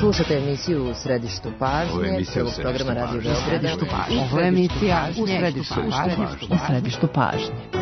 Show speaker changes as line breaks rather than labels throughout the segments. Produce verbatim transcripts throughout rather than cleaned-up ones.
Slušate emisiju U središtu pažnje, prvog programa Radio Beograda.
Ovo je emisija U središtu pažnje. U središtu pažnje.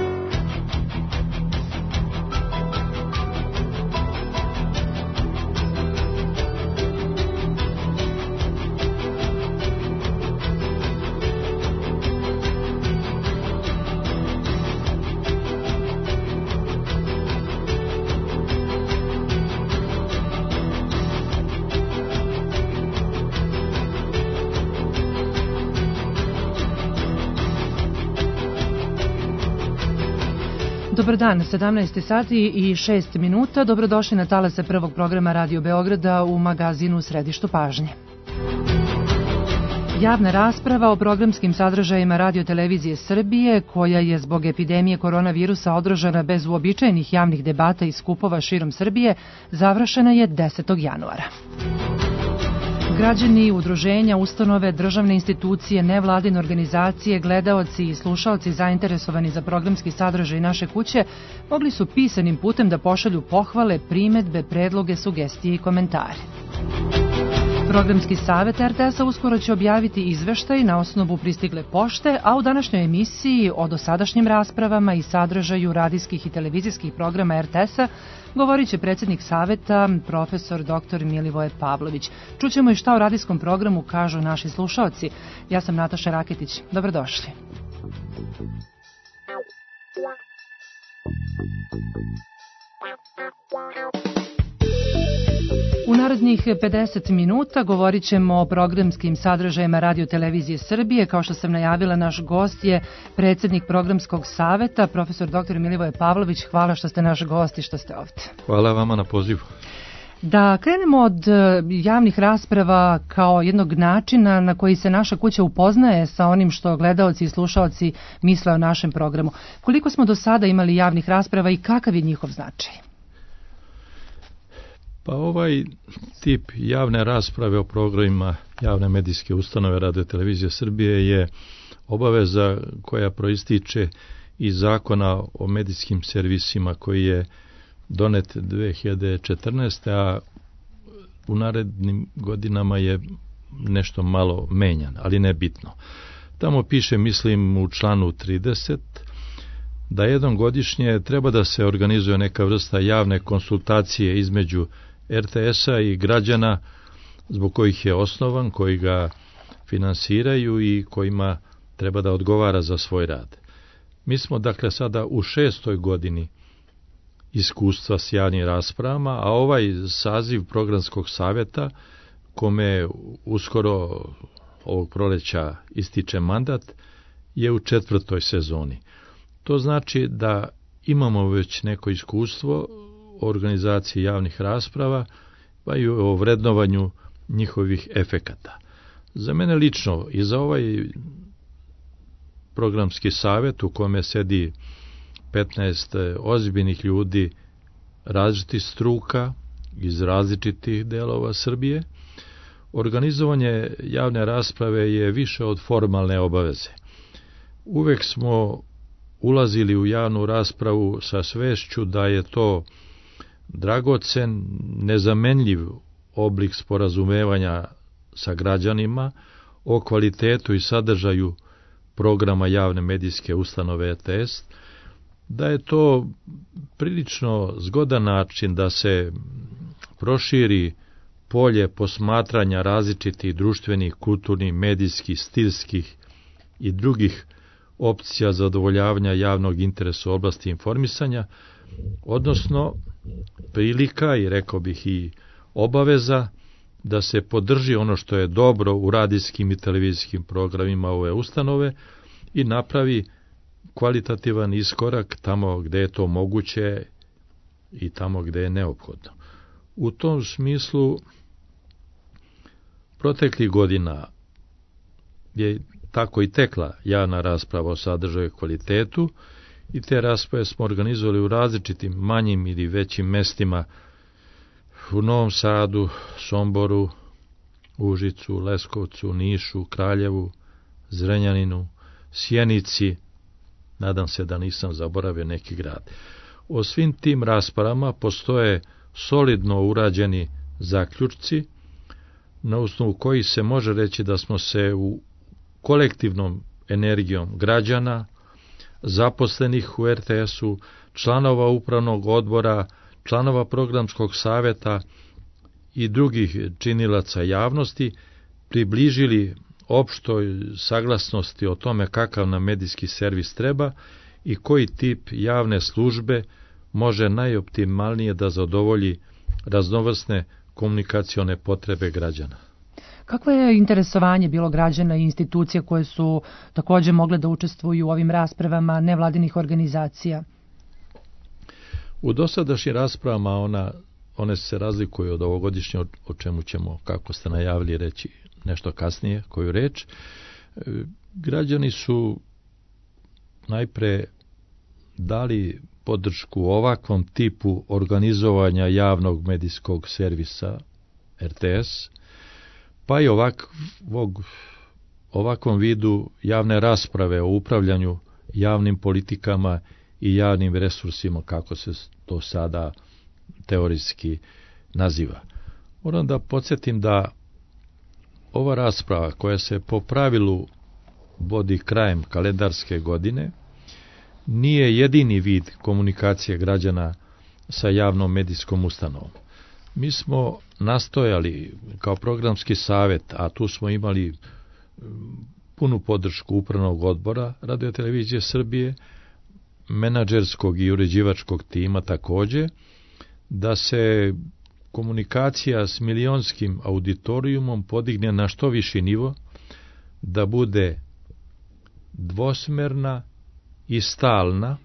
Dobar dan, sedamnaest sati i šest minuta. Dobrodošli na talase prvog programa Radio Beograda u magazinu U središtu pažnje. Javna rasprava o programskim sadržajima Radio-televizije Srbije, koja je zbog epidemije koronavirusa održana bez uobičajenih javnih debata i skupova širom Srbije, završena je desetog januara. Građani, udruženja, ustanove, državne institucije, nevladine organizacije, gledaoci i slušaoci zainteresovani za programski sadržaj naše kuće mogli su pisanim putem da pošalju pohvale, primedbe, predloge, sugestije i komentare. Programski savet er te es-a uskoro će objaviti izveštaj na osnovu pristigle pošte, a u današnjoj emisiji o dosadašnjim raspravama i sadržaju radijskih i televizijskih programa er te es-a govorit će predsjednik saveta, profesor doktor Milivoje Pavlović. Čućemo i šta o radijskom programu kažu naši slušaoci. Ja sam Nataša Raketić. Dobrodošli. U narednih pedeset minuta govorit ćemo o programskim sadržajima Radio-televizije Srbije. Kao što sam najavila, naš gost je predsjednik programskog saveta, profesor doktor Milivoje Pavlović. Hvala što ste naš gost i što ste ovdje.
Hvala vama na pozivu.
Da krenemo od javnih rasprava kao jednog načina na koji se naša kuća upoznaje sa onim što gledaoci i slušaoci misle o našem programu. Koliko smo do sada imali javnih rasprava i kakav je njihov značaj?
Pa ovaj tip javne rasprave o programima javne medijske ustanove Radio-televizije Srbije je obaveza koja proističe iz zakona o medijskim servisima koji je donet dve hiljade četrnaeste. a u narednim godinama je nešto malo menjan, ali ne bitno. Tamo piše, mislim u članu trideset, da jednom godišnje treba da se organizuje neka vrsta javne konsultacije između er te es-a i građana zbog kojih je osnovan, koji ga finansiraju i kojima treba da odgovara za svoj rad. Mi smo dakle sada u šestoj godini iskustva s javnim raspravama, a ovaj saziv programskog savjeta, kome uskoro ovog proleća ističe mandat, je u četvrtoj sezoni. To znači da imamo već neko iskustvo o organizaciji javnih rasprava, pa i o vrednovanju njihovih efekata. Za mene lično i za ovaj programski savjet u kome sedi petnaest ozbiljnih ljudi različitih struka iz različitih delova Srbije, organizovanje javne rasprave je više od formalne obaveze. Uvek smo ulazili u javnu raspravu sa svešću da je to dragocen, nezamenljiv oblik sporazumevanja sa građanima o kvalitetu i sadržaju programa javne medijske ustanove er te es, da je to prilično zgodan način da se proširi polje posmatranja različitih društvenih, kulturnih, medijskih, stilskih i drugih opcija zadovoljavanja javnog interesa u oblasti informisanja, odnosno prilika i rekao bih i obaveza da se podrži ono što je dobro u radijskim i televizijskim programima ove ustanove i napravi kvalitativan iskorak tamo gde je to moguće i tamo gde je neophodno. U tom smislu proteklih godina je tako i tekla javna rasprava o sadržaju i kvalitetu i te rasprave smo organizovali u različitim manjim ili većim mestima u Novom Sadu, Somboru, Užicu, Leskovcu, Nišu, Kraljevu, Zrenjaninu, Sjenici, nadam se da nisam zaboravio neki grad. O svim tim raspravama postoje solidno urađeni zaključci, na osnovu kojih se može reći da smo se u kolektivnom energijom građana, zaposlenih u er te esu, članova upravnog odbora, članova programskog saveta i drugih činilaca javnosti približili opštoj saglasnosti o tome kakav nam medijski servis treba i koji tip javne službe može najoptimalnije da zadovolji raznovrsne komunikacione potrebe građana.
Kakvo je interesovanje bilo građana i institucija koje su također mogle da učestvuju u ovim raspravama nevladinih organizacija?
U dosadašnjim raspravama ona, one se razlikuju od ovogodišnje, o čemu ćemo, kako ste najavili, reći nešto kasnije, koju reč. Građani su najpre dali podršku ovakvom tipu organizovanja javnog medijskog servisa er te es, pa i ovakvog, ovakvom vidu javne rasprave o upravljanju javnim politikama i javnim resursima, kako se to sada teorijski naziva. Moram da podsjetim da ova rasprava, koja se po pravilu vodi krajem kalendarske godine, nije jedini vid komunikacije građana sa javnom medijskom ustanovom. Mi smo nastojali kao programski savet, a tu smo imali punu podršku upravnog odbora Radio-televizije Srbije, menadžerskog i uređivačkog tima također, da se komunikacija s milionskim auditorijumom podigne na što viši nivo, da bude dvosmerna i stalna,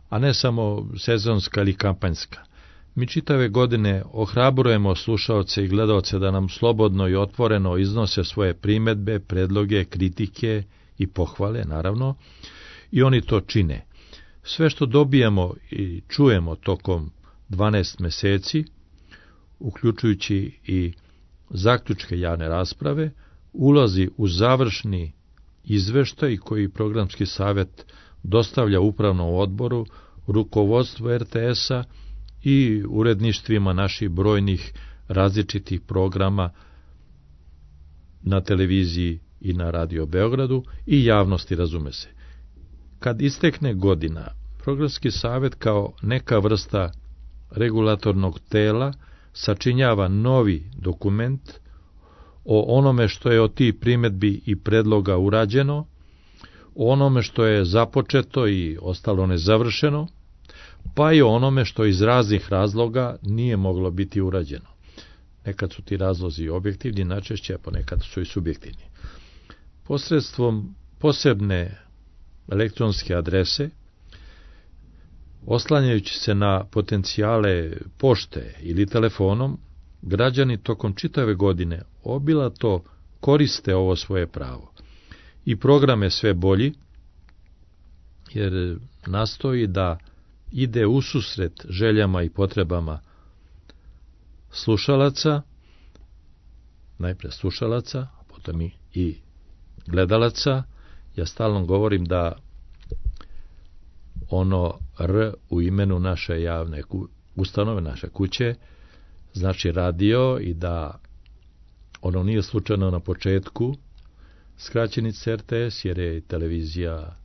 a ne samo sezonska ili kampanjska. Mi čitave godine ohrabrujemo slušaoce i gledaoce da nam slobodno i otvoreno iznose svoje primedbe, predloge, kritike i pohvale, naravno, i oni to čine. Sve što dobijemo i čujemo tokom dvanaest meseci, uključujući i zaključke javne rasprave, ulazi u završni izveštaj koji programski savet dostavlja upravnom odboru, rukovodstvu er te esa i uredništvima naših brojnih različitih programa na televiziji i na Radio Beogradu i javnosti, razume se. Kad istekne godina, programski savet kao neka vrsta regulatornog tela sačinjava novi dokument o onome što je od tih primedbi i predloga urađeno, o onome što je započeto i ostalo nezavršeno, pa i o onome što iz raznih razloga nije moglo biti urađeno. Nekad su ti razlozi objektivni, najčešće, a ponekad su i subjektivni. Posredstvom posebne elektronske adrese, oslanjajući se na potencijale pošte ili telefonom, građani tokom čitave godine obilato koriste ovo svoje pravo. I program je sve bolji, jer nastoji da ide ususret željama i potrebama slušalaca, najpre slušalaca, a potom i, i gledalaca. Ja stalno govorim da ono R u imenu naše javne ustanove, naše kuće, znači radio, i da ono nije slučajno na početku skraćenica er te es, jer je televizija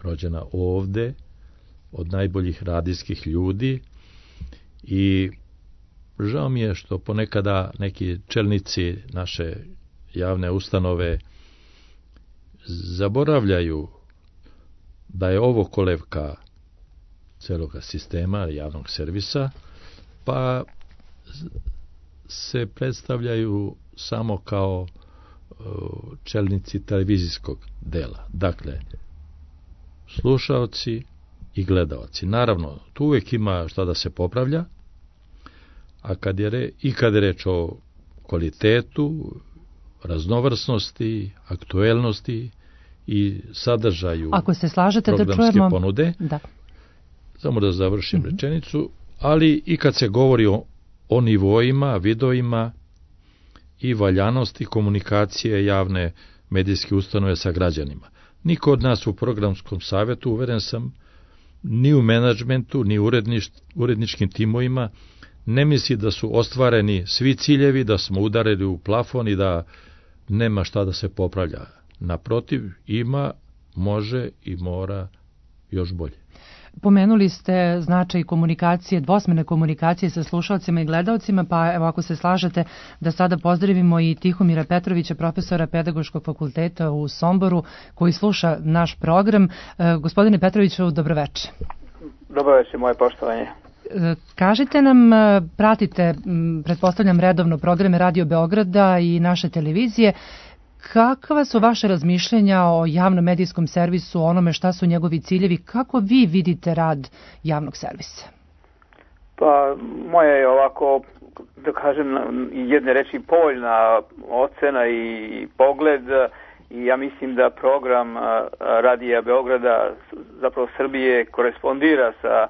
rođena ovde od najboljih radijskih ljudi, i žao mi je što ponekada neki čelnici naše javne ustanove zaboravljaju da je ovo kolevka celoga sistema javnog servisa, pa se predstavljaju samo kao čelnici televizijskog dela. Dakle, slušaoci i gledaoci. Naravno, tu uvijek ima šta da se popravlja, a kad je re, i kad je reč o kvalitetu, raznovrsnosti, aktuelnosti i sadržaju
Ako se slažete
programske
da čujemo...
ponude,
da.
samo da završim
mm-hmm.
rečenicu, ali i kad se govori o, o nivoima, videoima i valjanosti komunikacije javne medijske ustanove sa građanima. Niko od nas u programskom savetu, uveren sam, ni u menadžmentu, ni u urednič, uredničkim timovima ne misli da su ostvareni svi ciljevi, da smo udarili u plafon i da nema šta da se popravlja. Naprotiv, ima, može i mora još bolje.
Pomenuli ste značaj komunikacije, dvosmerne komunikacije sa slušalcima i gledalcima, pa evo ako se slažete da sada pozdravimo i Tihomira Petrovića, profesora Pedagoškog fakulteta u Somboru, koji sluša naš program. Gospodine Petroviću, dobroveče.
Dobroveče, moje poštovanje.
Kažite nam, pratite, pretpostavljam redovno, programe Radio Beograda i naše televizije. Kakva su vaše razmišljenja o javnom medijskom servisu, onome šta su njegovi ciljevi, kako vi vidite rad javnog servisa?
Pa, moja je ovako, da kažem, jedne reči povoljna ocena i pogled, i ja mislim da program Radija Beograda, zapravo Srbije, korespondira sa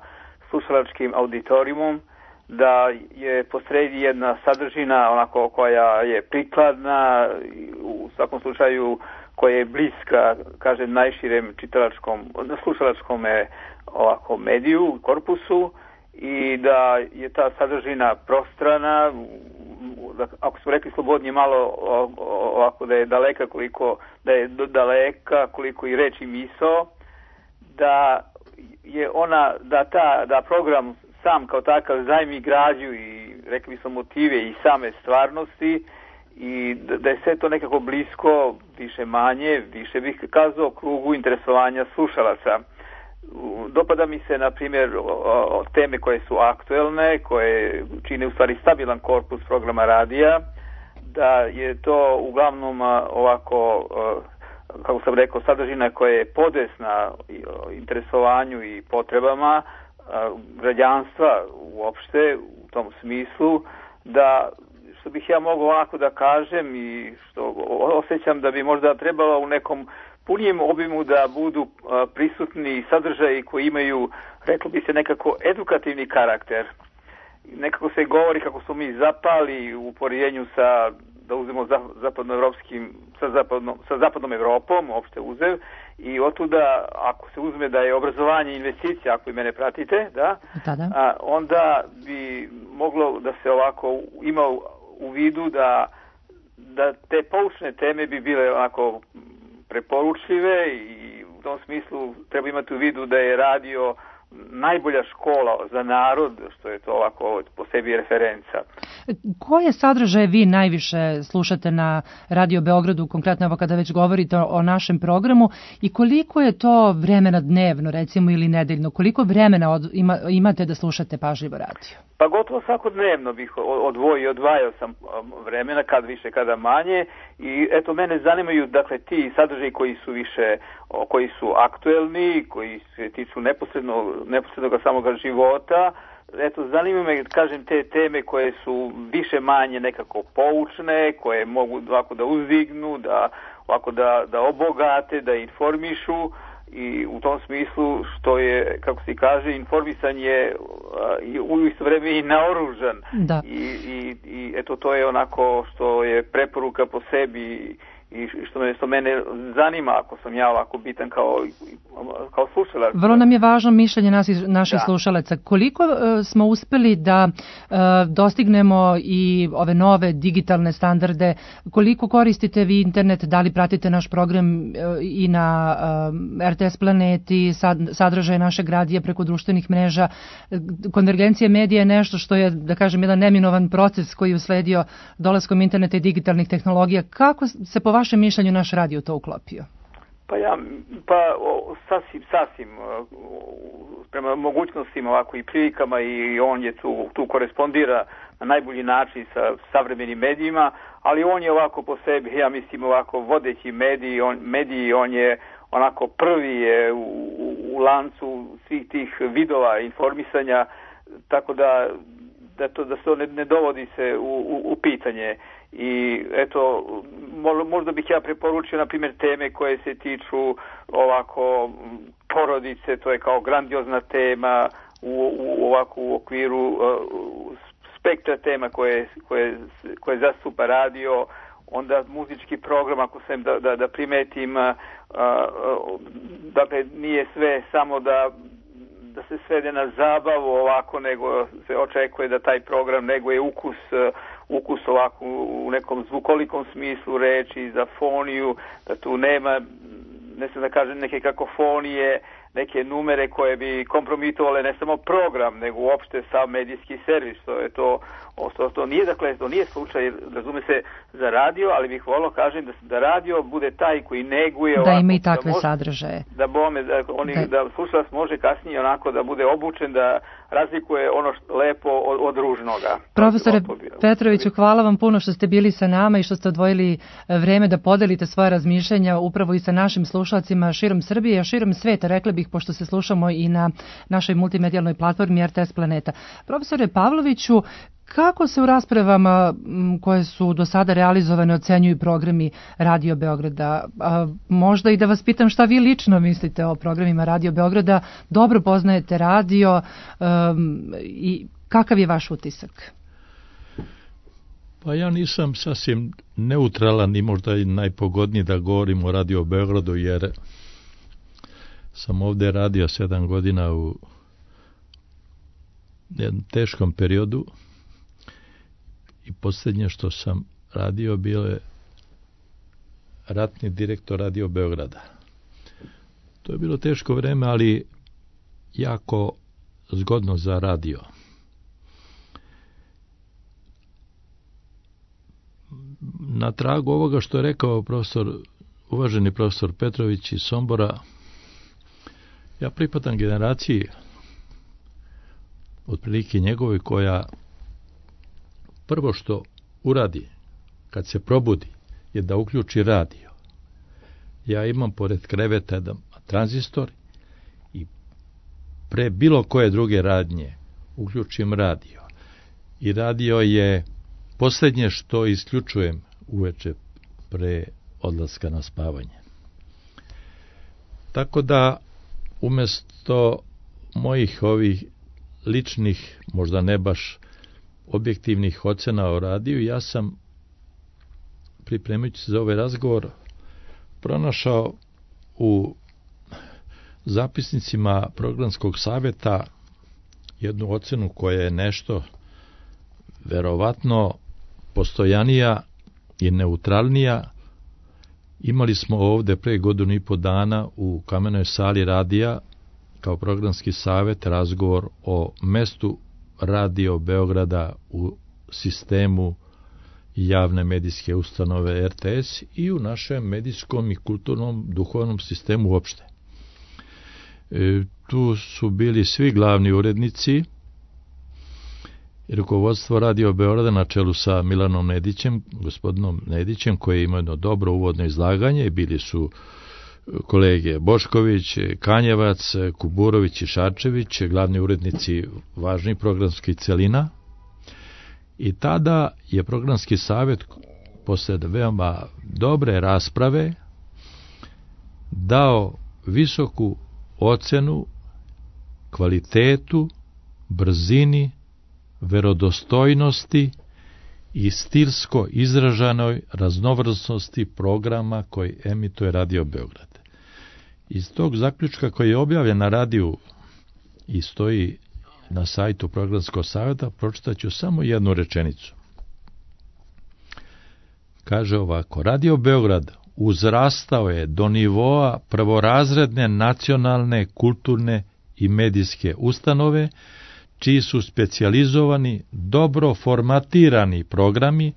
slušalačkim auditorijumom, da je posredi jedna sadržina onako koja je prikladna, u svakom slučaju koja je bliska, kažem, najširem čitalačkom, slušalačkom ovako mediju, korpusu, i da je ta sadržina prostrana, ako smo rekli slobodnije malo ovako da je daleka koliko, da je daleka koliko i reč i misao, da je ona, da ta, da program sam kao takav zajmi građu i rekli smo motive i same stvarnosti, i da je sve to nekako blisko, više manje, više bih kazao, krugu interesovanja slušalaca. Dopada mi se, na primjer, teme koje su aktuelne, koje čine u stvari stabilan korpus programa radija, da je to uglavnom ovako, kako sam rekao, sadržina koja je podesna interesovanju i potrebama građanstva uopšte u tom smislu, da što bih ja mogao ovako da kažem i što osjećam da bi možda trebalo u nekom punijem obimu da budu prisutni sadržaji koji imaju, reklo bi se, nekako edukativni karakter. Nekako se govori kako smo mi zapali u poređenju sa, da uzmemo zapadnoevropskim, sa zapadnom, sa zapadnom Evropom, uopšte uzev, i otuda, ako se uzme da je obrazovanje investicija, ako i mene pratite, da,
da.
A, onda bi moglo da se ovako ima u vidu da, da te poučne teme bi bile onako preporučljive, i u tom smislu treba imati u vidu da je radio najbolja škola za narod, što je to ovako po sebi referenca.
Koje sadržaje vi najviše slušate na Radio Beogradu, konkretno evo kada već govorite o našem programu, i koliko je to vremena dnevno, recimo, ili nedeljno? Koliko vremena od, ima, imate da slušate pažljivo radio?
Pa gotovo svakodnevno bih odvojio, odvajao sam vremena, kad više, kada manje, i eto, mene zanimaju, dakle, ti sadržaji koji su više, koji su aktuelni, koji se tiču neposredno, neposrednog samoga života. Eto, zanima me, kažem, te teme koje su više manje nekako poučne, koje mogu ovako da uzdignu, da, ovako da, da obogate, da informišu, i u tom smislu što je, kako se kaže, informisan je u isto vreme i naoružan.
Da.
I, i, i eto, to je onako što je preporuka po sebi i što me, što mene zanima, ako sam ja ovako bitan kao, kao slušalac.
Vrlo nam je važno mišljenje nas, naših da. slušalaca. Koliko uh, smo uspeli da uh, dostignemo i ove nove digitalne standarde, koliko koristite vi internet, da li pratite naš program uh, i na uh, R T S Planeti, sad, sadržaje našeg radija preko društvenih mreža. Konvergencija medija je nešto što je, da kažem, jedan neminovan proces koji je usledio dolaskom interneta i digitalnih tehnologija. Kako se po vašem mišljenju naš radio to uklopio?
Pa ja, pa o, sasvim, sasvim prema mogućnostima ovako i prilikama, i on je tu, tu korespondira na najbolji način sa savremenim medijima, ali on je ovako po sebi, ja mislim, ovako vodeći mediji, on, mediji, on je onako prvi je u, u, u lancu svih tih vidova informisanja, tako da da to da se to ne, ne dovodi se u, u, u pitanje. I eto, možda bih ja preporučio, na primjer, teme koje se tiču ovako porodice, to je kao grandiozna tema u, u ovako u okviru uh, spektra tema koje, koje, koje zastupa radio, onda muzički program, ako sam da, da, da primetim, uh, uh, dakle, nije sve samo da da se svede na zabavu ovako, nego se očekuje da taj program neguje ukus, ukus ovako u nekom zvukolikom smislu reči, za foniju, da tu nema, ne znam da kažem, neke kakofonije, neke numere koje bi kompromitovale ne samo program, nego uopšte sam medijski servis. To je to, to, to nije, dakle, to nije slučaj, razume se, za radio, ali bih volio kažem da, da radio bude taj koji neguje
da
ovako,
ima i takve
da može,
sadržaje.
Da bome, da, oni, da. da slušalac može kasnije onako da bude obučen, da razlikuje ono što, lepo od, od ružnoga.
Profesore Petroviću, hvala vam puno što ste bili sa nama i što ste odvojili vreme da podelite svoje razmišljenja upravo i sa našim slušalcima širom Srbije, a širom sveta, rekli bih, pošto se slušamo i na našoj multimedijalnoj platformi R T S Planeta. Profesore Pavloviću, kako se u raspravama koje su do sada realizovane ocenjuju programi Radio Beograda? A, možda i da vas pitam šta vi lično mislite o programima Radio Beograda, dobro poznajete radio um, i kakav je vaš utisak?
Pa ja nisam sasvim neutralan i možda i najpogodniji da govorim o Radio Beogradu, jer sam ovdje radio sedam godina u jednom teškom periodu i posljednje što sam radio bio je ratni direktor Radio Beograda. To je bilo teško vreme, ali jako zgodno za radio. Na tragu ovoga što je rekao profesor, uvaženi profesor Petrović iz Sombora, ja pripadam generaciji otprilike njegovoj koja prvo što uradi kad se probudi je da uključi radio. Ja imam pored kreveta jedan tranzistor i pre bilo koje druge radnje uključim radio. I radio je posljednje što isključujem uveče pre odlaska na spavanje. Tako da umjesto mojih ovih ličnih, možda ne baš objektivnih ocena o radiju, ja sam, pripremajući se za ovaj razgovor, pronašao u zapisnicima programskog savjeta jednu ocenu koja je nešto verovatno postojanija i neutralnija. Imali smo ovdje pre godinu i po dana u Kamenoj sali radija kao programski savjet razgovor o mestu Radio Beograda u sistemu javne medijske ustanove R T S i u našem medijskom i kulturnom duhovnom sistemu uopšte. E, tu su bili svi glavni urednici i rukovodstvo Radio Beograda na čelu sa Milanom Nedićem, gospodinom Nedićem, koji ima jedno dobro uvodno izlaganje. Bili su kolege Bošković, Kanjevac, Kuburović i Šarčević, glavni urednici važnih programskih celina. I tada je programski savjet posle veoma dobre rasprave dao visoku ocenu kvalitetu, brzini, verodostojnosti i stilsko izražanoj raznovrsnosti programa koji emituje Radio Beograd. Iz tog zaključka koji je objavljen na radiju i stoji na sajtu programskog savjeta, pročitaću samo jednu rečenicu. Kaže ovako: Radio Beograd uzrastao je do nivoa prvorazredne nacionalne, kulturne i medijske ustanove, čiji su specijalizovani, dobro formatirani programi,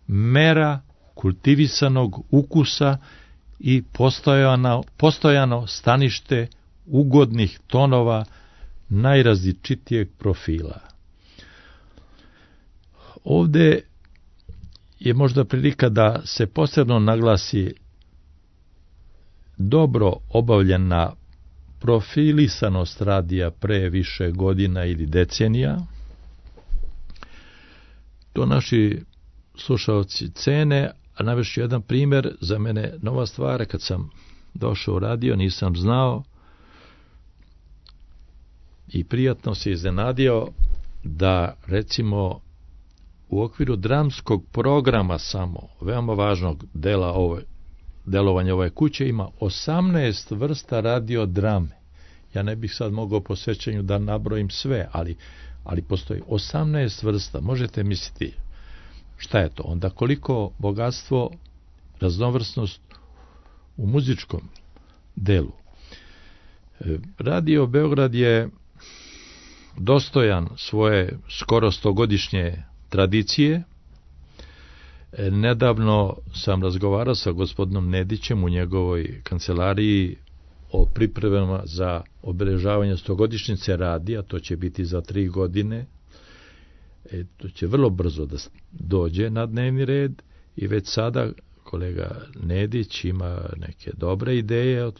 mera kultivisanog ukusa i postojano, postojano stanište ugodnih tonova najrazličitijeg profila. Ovdje je možda prilika da se posebno naglasi dobro obavljena profilisanost radija pre više godina ili decenija. To naši slušalci cene, a navešću jedan primjer, za mene nova stvar, kad sam došao u radio, nisam znao i prijatno se iznenadio da, recimo, u okviru dramskog programa samo, veoma važnog dela ove, delovanja ove kuće, ima osamnaest vrsta radiodrame. ja ne bih sad mogao po sećanju da nabrojim sve, ali, ali postoji osamnaest vrsta. Možete misliti šta je to? Onda koliko bogatstvo, raznovrsnost u muzičkom delu. Radio Beograd je dostojan svoje skoro stogodišnje tradicije. Nedavno sam razgovarao sa gospodinom Nedićem u njegovoj kancelariji o pripremama za obeležavanje stogodišnjice radija, to će biti za tri godine. E, to će vrlo brzo da dođe na dnevni red i već sada kolega Nedić ima neke dobre ideje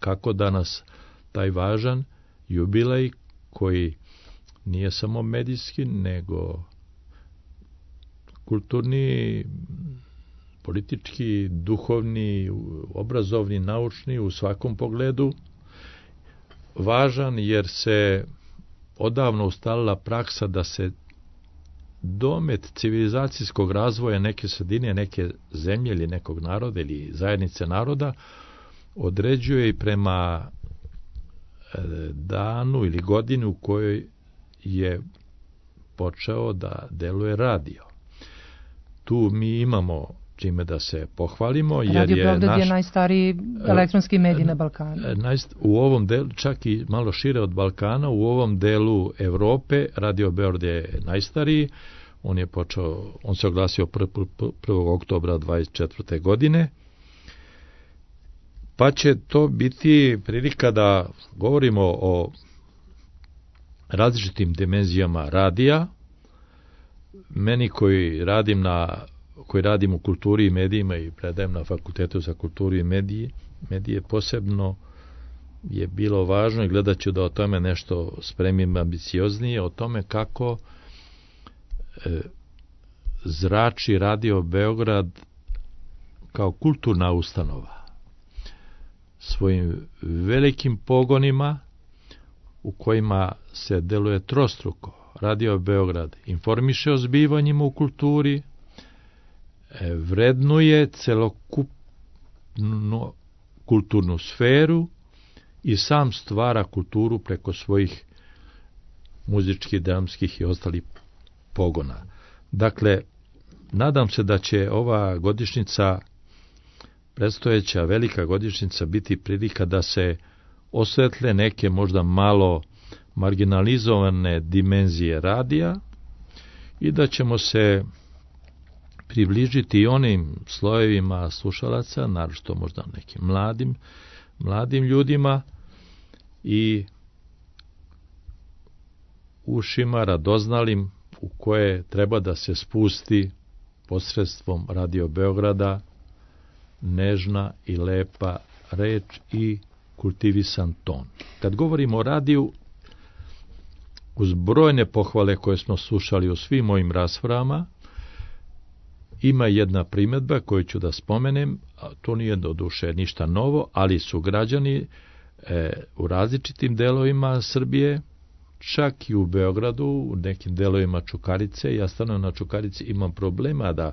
kako danas taj važan jubilej koji nije samo medijski, nego kulturni, politički, duhovni, obrazovni, naučni u svakom pogledu važan, jer se odavno ustalila praksa da se domet civilizacijskog razvoja neke sredine, neke zemlje ili nekog naroda ili zajednice naroda određuje i prema danu ili godinu u kojoj je počeo da deluje radio. Tu mi imamo čime da se pohvalimo. Jer
Radio
je
Beograd
naš,
je najstariji elektronski medij na Balkanu.
U ovom delu, čak i malo šire od Balkana, u ovom delu Evrope, Radio Beograd je najstariji. On je počeo, on se oglasio prvog oktobra dvadeset četvrte godine. Pa će to biti prilika da govorimo o različitim dimenzijama radija. Meni koji radim na koji radim u kulturi i medijima i predajem na Fakultetu za kulturu i medije, medije posebno je bilo važno i gledat ću da o tome nešto spremim ambicioznije, o tome kako e, zrači Radio Beograd kao kulturna ustanova svojim velikim pogonima u kojima se deluje trostruko. Radio Beograd informiše o zbivanjima u kulturi, vrednuje celokupnu kulturnu sferu i sam stvara kulturu preko svojih muzičkih, dramskih i ostalih pogona. Dakle, nadam se da će ova godišnjica, predstojeća velika godišnjica, biti prilika da se osvetle neke možda malo marginalizovane dimenzije radija i da ćemo se približiti i onim slojevima slušalaca, naročito možda nekim mladim, mladim ljudima i ušima radoznalim u koje treba da se spusti posredstvom Radio Beograda nežna i lepa reč i kultivisan ton. Kad govorimo o radiju, uz brojne pohvale koje smo slušali u svim mojim raspravama, ima jedna primjedba koju ću da spomenem, a to nije do duše ništa novo, ali su građani e, u različitim delovima Srbije, čak i u Beogradu, u nekim delovima Čukarice, ja stanujem na Čukarici, imam problema da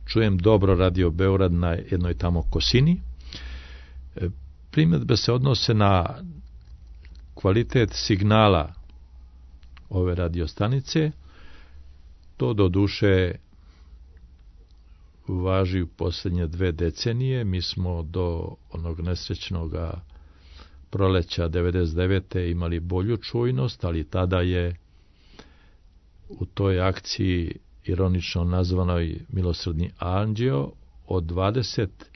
čujem dobro Radio Beograd na jednoj tamo kosini. E, primjedbe se odnose na kvalitet signala ove radiostanice. To do duše važi u posljednje dve decenije. Mi smo do onog nesrećnog proleća devedeset devete imali bolju čujnost, ali tada je u toj akciji ironično nazvanoj Milosrdni anđeo od dvadeset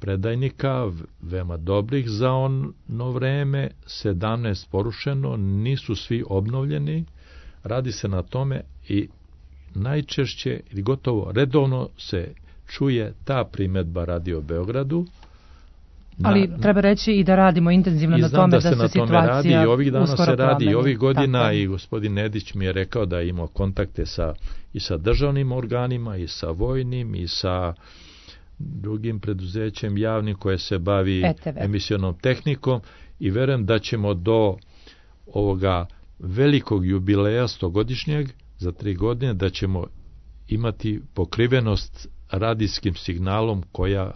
predajnika, veoma dobrih za ono vreme, sedamnaest porušeno, nisu svi obnovljeni, radi se na tome i najčešće ili gotovo redovno se čuje ta primjedba Radio Beogradu. Na,
Ali treba reći i da radimo intenzivno na tome da, da se, se situacija
radi, i ovih dana se radi
promeni.
I ovih godina tako. I gospodin Nedić mi je rekao da je imao kontakte sa, i sa državnim organima i sa vojnim i sa drugim preduzećem javnim koje se bavi
E T V
emisionom tehnikom i verujem da ćemo do ovoga velikog jubileja stogodišnjeg za tri godine da ćemo imati pokrivenost radijskim signalom koja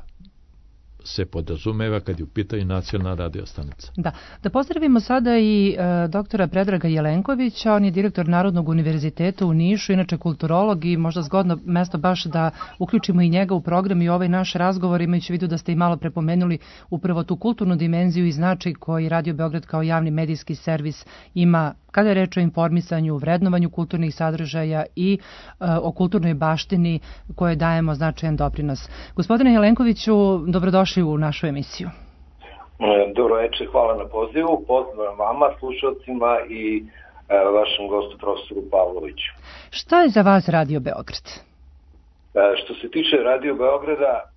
se podrazumeva kad je u pitanju nacionalna radio stanica.
Da, da pozdravimo sada i e, doktora Predraga Jelenkovića, on je direktor Narodnog univerziteta u Nišu, inače kulturolog i možda zgodno mesto baš da uključimo i njega u program i ovaj naš razgovor, imajući u vidu da ste i malo prepomenuli upravo tu kulturnu dimenziju i značaj koji Radio Beograd kao javni medijski servis ima kada je reč o informisanju, vrednovanju kulturnih sadržaja i e, o kulturnoj baštini koje dajemo značajan doprinos. Gospodine Jelenkoviću, dobrodošli u našu emisiju.
Dobro večer, hvala na pozivu. Pozdrav vama, slušalcima i e, vašem gostu profesoru Pavloviću.
Šta je za vas Radio Beograd?
E, što se tiče Radio Beograda, e,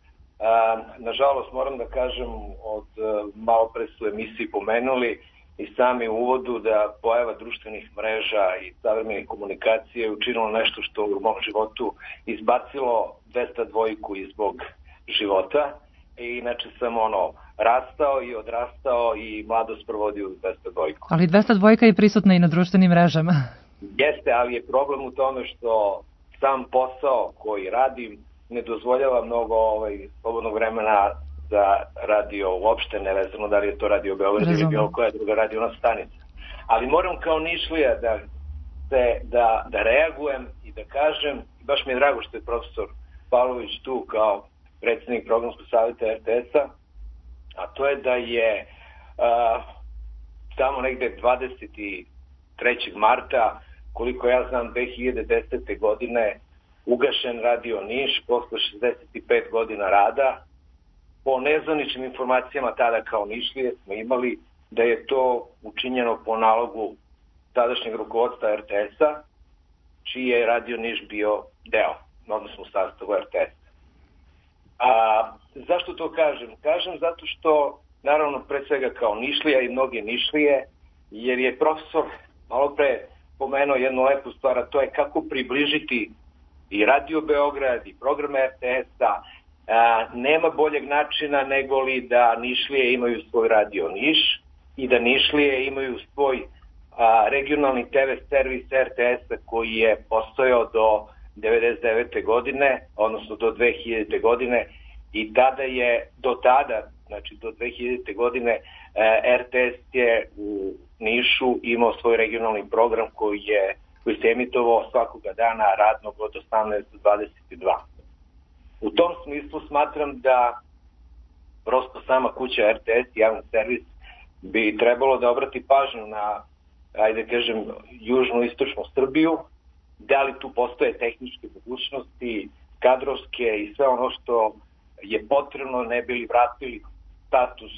nažalost moram da kažem, od e, malo pre su emisiji pomenuli i sami u uvodu da pojava društvenih mreža i savremenih komunikacije je učinilo nešto što u mom životu izbacilo dvesta dvojku iz mog života. I inače sam ono rastao i odrastao i mladost provodio u dvesta dvojku.
Ali dvesta dvojka je prisutna i na društvenim mrežama.
Jeste, ali je problem u tome što sam posao koji radim ne dozvoljava mnogo ovaj, slobodnog vremena za radio uopšte, nevezano da li je to Radio Beograd ili bilo koja druga radio stanica. Ali moram kao Nišlija da, da, da, da reagujem i da kažem, baš mi je drago što je profesor Pavlović tu kao predsjednik programskog savjeta er te es-a, a to je da je a, tamo negde dvadeset trećeg marta, koliko ja znam, dve hiljade desete. godine ugašen Radio Niš posle šezdeset pet godina rada. Po nezvaničnim informacijama tada kao Nišlije smo imali da je to učinjeno po nalogu tadašnjeg rukovodstva er te es-a, čiji je Radio Niš bio deo, odnosno u sastavu er te es-a. A zašto to kažem? Kažem zato što, naravno, pre svega kao Nišlija i mnoge Nišlije, jer je profesor malo pre pomenuo jednu lepu stvar, a to je kako približiti i Radio Beograd i program er te es-a. A, nema boljeg načina nego li da Nišlije imaju svoj Radio Niš i da Nišlije imaju svoj a, regionalni te ve servis er te es-a koji je postojao do devedeset devete. godine, odnosno do dve hiljadite. godine i tada je, do tada, znači do dve hiljadite. godine, er te es je u Nišu imao svoj regionalni program koji je koji se emitovao svakoga dana radnog od osamnaest do dvadeset dva. U tom smislu smatram da prosto sama kuća er te es, javni servis, bi trebalo da obrati pažnju na, ajde kažem, južno-istočnu Srbiju, da li tu postoje tehničke mogućnosti, kadrovske i sve ono što je potrebno, ne bi li vratili status,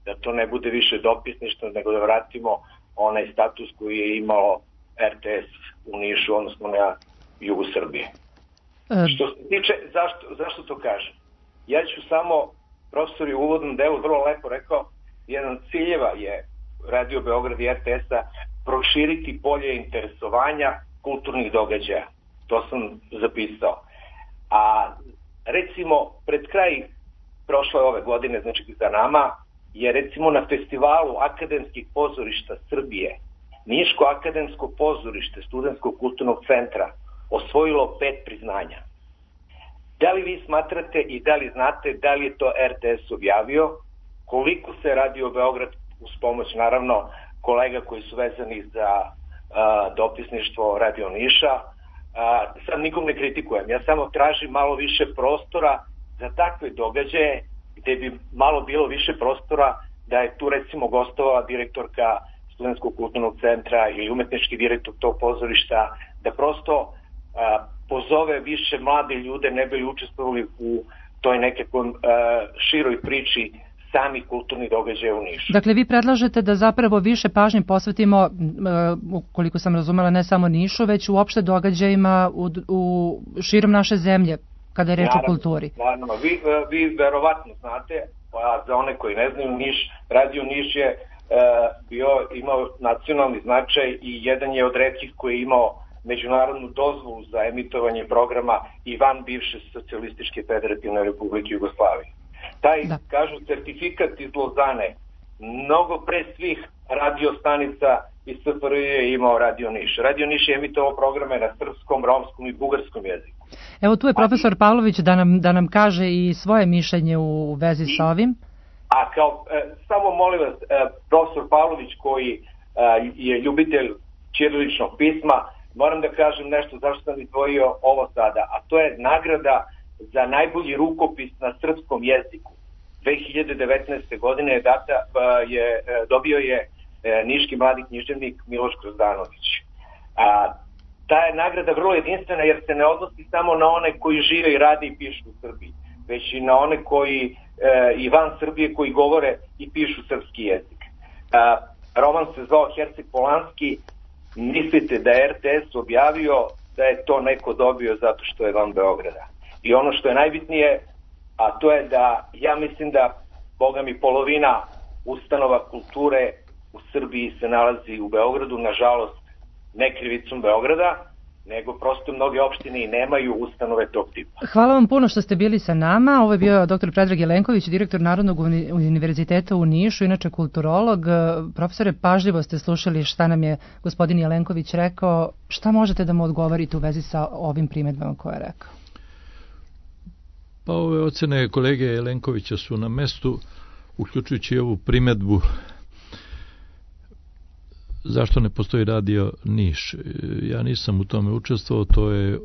da to ne bude više dopisništvo, nego da vratimo onaj status koji je imalo er te es u Nišu, odnosno na jugu Srbije. Um. Što se tiče, zašto, zašto to kažem? Ja ću samo, profesor je u uvodnom delu vrlo lepo rekao, jedan ciljeva je Radio Beograd i er te es-a proširiti polje interesovanja kulturnih događaja. To sam zapisao. A recimo, pred kraj prošle ove godine, znači za nama, je recimo na festivalu akademskih pozorišta Srbije Niško akademsko pozorište Studentskog kulturnog centra osvojilo pet priznanja. Da li vi smatrate i da li znate da li je to er te es objavio, koliko se Radio Beograd, uz pomoć naravno kolega koji su vezani za a, dopisništvo Radio Niša, a, sad nikom ne kritikujem, ja samo tražim malo više prostora za takve događaje gde bi malo bilo više prostora da je tu recimo gostovala direktorka Studentskog kulturnog centra ili umetnički direktor tog pozorišta, da prosto a, pozove više mlade ljude, ne bi li učestvovali u toj nekakvom a, široj priči sami kulturni događaje u Nišu.
Dakle, vi predlažete da zapravo više pažnje posvetimo, koliko sam razumela, ne samo Nišu, već uopšte događajima u, u širom naše zemlje, kada je reč o kulturi.
Naravno, vi, vi verovatno znate, a za one koji ne znaju, Niš, Radio Niš je bio, imao nacionalni značaj i jedan je od retkih koji je imao međunarodnu dozvolu za emitovanje programa i van bivše Socijalističke federativne republike Jugoslavije. Taj, da. kažu, certifikat iz Lozane mnogo pre svih radio stanica iz S F R J je imao Radio Niš. Radio Niš je emitovao programe na srpskom, romskom i bugarskom jeziku.
Evo tu je profesor Pavlović da nam, da nam kaže i svoje mišljenje u vezi sa ovim.
A kao, e, samo molim vas, e, profesor Pavlović koji e, je ljubitelj ćiriličnog pisma, moram da kažem nešto zašto sam izdvojio ovo sada, a to je nagrada za najbolji rukopis na srpskom jeziku. dve hiljade devetnaeste. godine je data, je, dobio je niški mladi književnik Miloš Grozdanović. A, ta je nagrada vrlo jedinstvena jer se ne odnosi samo na one koji žive i rade i pišu u Srbiji, već i na one koji e, i van Srbije koji govore i pišu srpski jezik. A, roman se zvao Herceg Polanski. Mislite da je R T S objavio da je to neko dobio zato što je van Beograda. I ono što je najbitnije, a to je da ja mislim da, boga mi, polovina ustanova kulture u Srbiji se nalazi u Beogradu, nažalost ne krivicom Beograda, nego prosto mnoge opštine i nemaju ustanove tog tipa.
Hvala vam puno što ste bili sa nama. Ovo je bio doktor Predrag Jelenković, direktor Narodnog univerziteta u Nišu, inače kulturolog. Profesore, pažljivo ste slušali šta nam je gospodin Jelenković rekao. Šta možete da mu odgovorite u vezi sa ovim primedbama koje je rekao?
Pa ove ocene kolege Jelenkovića su na mestu, uključujući ovu primedbu zašto ne postoji Radio Niš. Ja nisam u tome učestvovao, to je,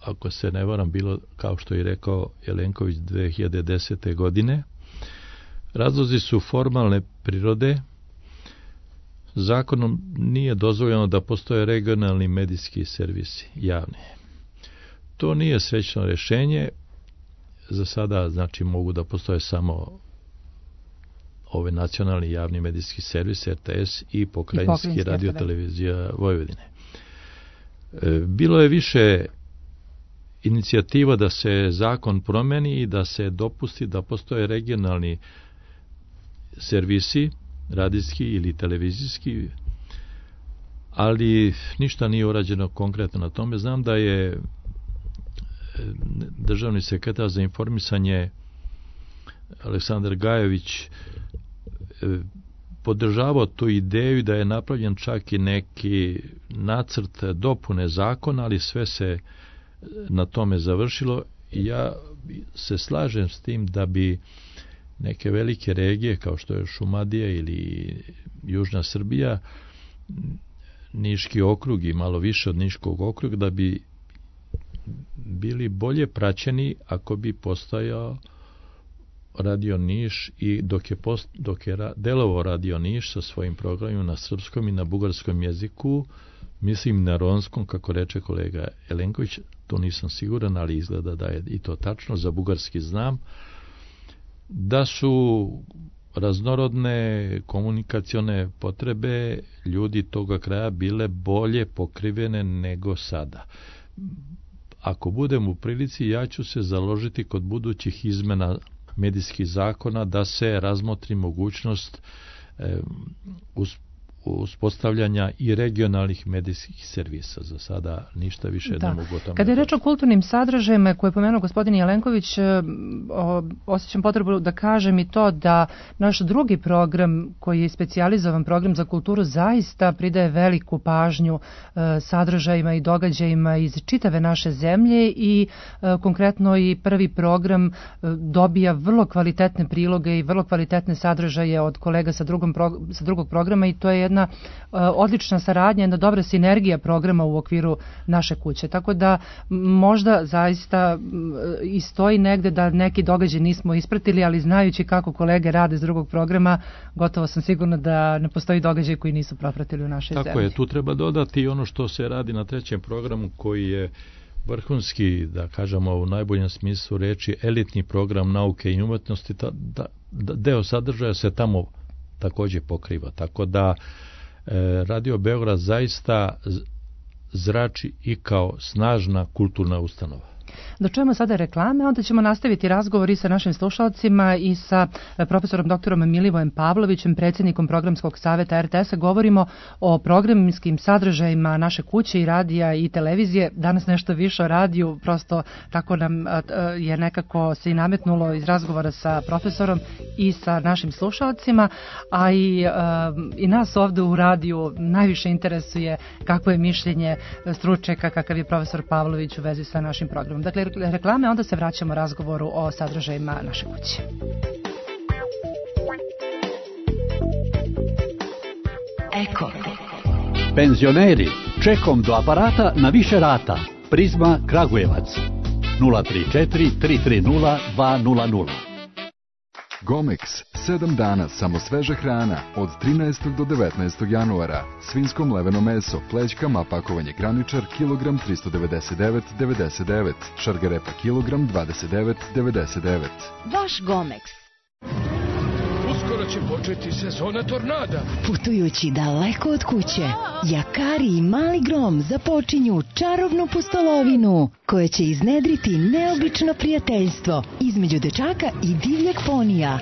ako se ne varam, bilo, kao što je rekao Jelenković, dve hiljade desete. godine. Razlozi su formalne prirode. Zakonom nije dozvoljeno da postoje regionalni medijski servisi, javni. To nije srećno rješenje. Za sada, znači, mogu da postoje samo ove nacionalni javni medijski servis, R T S i pokrajinski radio televizija Vojvodine. Bilo je više inicijativa da se zakon promeni i da se dopusti da postoje regionalni servisi, radijski ili televizijski, ali ništa nije urađeno konkretno na tome. Znam da je državni sekretar za informisanje Aleksandar Gajović podržavao tu ideju da je napravljen čak i neki nacrt dopune zakona, ali sve se na tome završilo. Ja se slažem s tim da bi neke velike regije kao što je Šumadija ili Južna Srbija, Niški okrug i malo više od Niškog okruga, da bi bili bolje praćeni ako bi postojao Radio Niš i dok je, post, dok je ra, delovao Radio Niš sa svojim programima na srpskom i na bugarskom jeziku, mislim na romskom, kako reče kolega Jelenković, to nisam siguran, ali izgleda da je i to tačno, za bugarski znam, da su raznorodne komunikacione potrebe ljudi toga kraja bile bolje pokrivene nego sada. Ako budem u prilici, ja ću se založiti kod budućih izmena medijskih zakona da se razmotri mogućnost e, uz, uspostavljanja i regionalnih medijskih servisa. Za sada ništa više
da.
ne mogu o tome.
Kada je reč o kulturnim sadržajima koje je pomenuo gospodin Jelenković, o, osjećam potrebu da kažem i to da naš drugi program, koji je specijalizovan program za kulturu, zaista pridaje veliku pažnju e, sadržajima i događajima iz čitave naše zemlje i e, konkretno i prvi program e, dobija vrlo kvalitetne priloge i vrlo kvalitetne sadržaje od kolega sa, drugom pro, sa drugog programa i to je jedna uh, odlična saradnja, jedna dobra sinergija programa u okviru naše kuće. Tako da možda zaista uh, i stoji negde da neki događaj nismo ispratili, ali znajući kako kolege rade s drugog programa, gotovo sam sigurna da ne postoji događaj koji nisu propratili u našoj
Tako
zemlji.
Tako je, tu treba dodati ono što se radi na trećem programu, koji je vrhunski, da kažemo u najboljem smislu reči, elitni program nauke i umetnosti. Da, da, da, deo sadržaja se tamo također pokriva. Tako da e, Radio Beograd zaista zrači i kao snažna kulturna ustanova.
Da čujemo sada reklame, onda ćemo nastaviti razgovor i sa našim slušalcima i sa profesorom doktorom Milivojem Pavlovićem, predsjednikom programskog saveta er te es-a. Govorimo o programskim sadržajima naše kuće i radija i televizije. Danas nešto više o radiju, prosto tako nam je nekako se i nametnulo iz razgovora sa profesorom i sa našim slušalcima, a i, i nas ovde u radiju najviše interesuje kako je mišljenje stručnjaka kakav je profesor Pavlović u vezi sa našim programom. Dakle, reklame, onda se vraćamo razgovoru o sadržajima naše kuće.
Eko. Penzioneri, čekom do aparata na više rata. Prizma Kragujevac. nula tri četiri tri tri nula dva nula nula.
Gomex, sedam dana samo sveža hrana od trinaestog do devetnaestog januara. Svinsko mleveno meso, plećkama, pakovanje graničar, kilogram tristo devedeset devet devedeset devet, šargarepa kilogram dvadeset devet devedeset devet.
Vaš Gomex.
Uskoro će početi sezona tornada.
Putujući daleko od kuće, Jakari i Mali Grom započinju čarobnu pustolovinu koja će iznedriti neobično prijateljstvo između dečaka i divljeg ponija.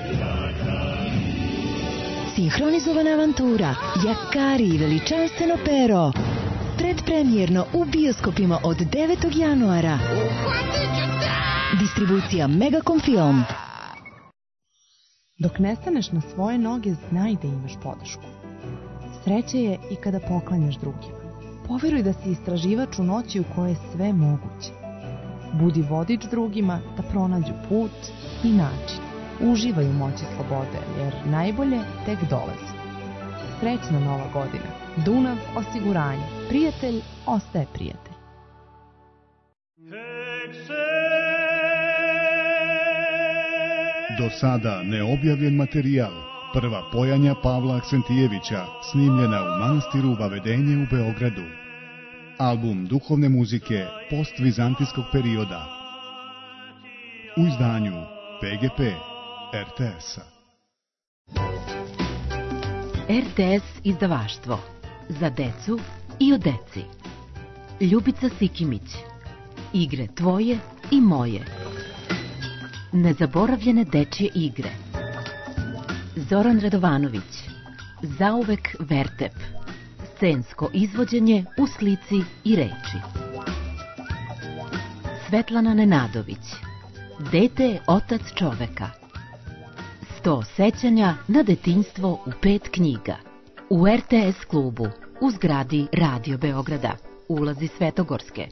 Sinhronizovana avantura Jakari i veličanstveno pero. Predpremjerno u bioskopima od devetog januara. Distribucija Megacom Film.
Dok ne staneš na svoje noge, znaj da imaš podršku. Sreće je i kada poklanjaš drugima. Poveruj da si istraživač u noći u kojoj je sve moguće. Budi vodič drugima da pronađu put i način. Uživaj u moći slobode, jer najbolje tek dolazi. Srećna nova godina. Dunav osiguranje. Prijatelj ostaje prijatelj.
Do sada neobjavljen materijal, prva pojanja Pavla Aksentijevića, snimljena u manastiru Vavedenje u Beogradu. Album duhovne muzike postvizantijskog perioda. U izdanju pe ge pe er te es-a.
er te es izdavaštvo. Za decu i o deci. Ljubica Sikimić. Igre tvoje i moje. Nezaboravljene dečje igre. Zoran Radovanović. Zauvek Vertep. Scensko izvođenje u slici i reči. Svetlana Nenadović. Dete je otac čoveka. Sto sećanja na detinjstvo u pet knjiga. U er te es klubu, u zgradi Radio Beograda, ulazi Svetogorske,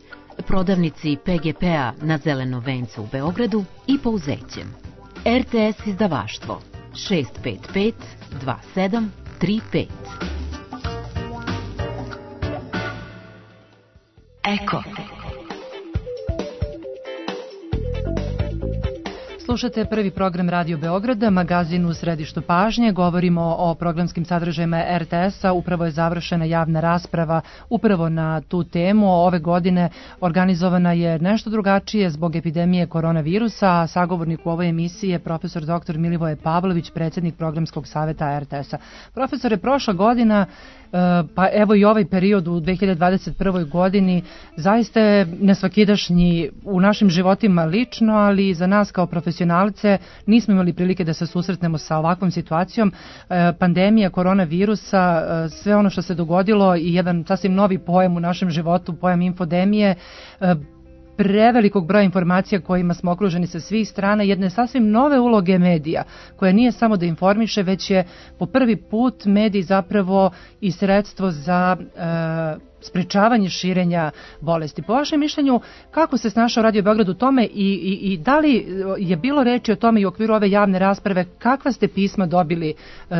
prodavnici pe ge pe-a na Zelenom vencu u Beogradu i Pouzećem. er te es izdavaštvo šest pet pet dva sedam tri pet.
Eko.
Slušate prvi program Radio Beograda, magazin u središtu pažnje. Govorimo o programskim sadržajima er te es-a. Upravo je završena javna rasprava upravo na tu temu. Ove godine organizovana je nešto drugačije zbog epidemije koronavirusa. Sagovornik u ovoj emisiji je profesor doktor Milivoje Pavlović, predsjednik programskog saveta er te es-a. Profesore, prošla godina, pa evo i ovaj period u dve hiljade dvadeset prvoj godini zaista je nesvakidašnji u našim životima lično, ali i za nas kao profesionalce nismo imali prilike da se susretnemo sa ovakvom situacijom. Pandemija koronavirusa, sve ono što se dogodilo i jedan sasvim novi pojam u našem životu, pojam infodemije, prevelikog broja informacija kojima smo okruženi sa svih strana, jedne sasvim nove uloge medija, koja nije samo da informiše, već je po prvi put medij zapravo i sredstvo za e, sprečavanje širenja bolesti. Po vašem mišljenju, kako se snašao Radio Beograd u tome i, i, i da li je bilo reči o tome i u okviru ove javne rasprave, kakva ste pisma dobili e,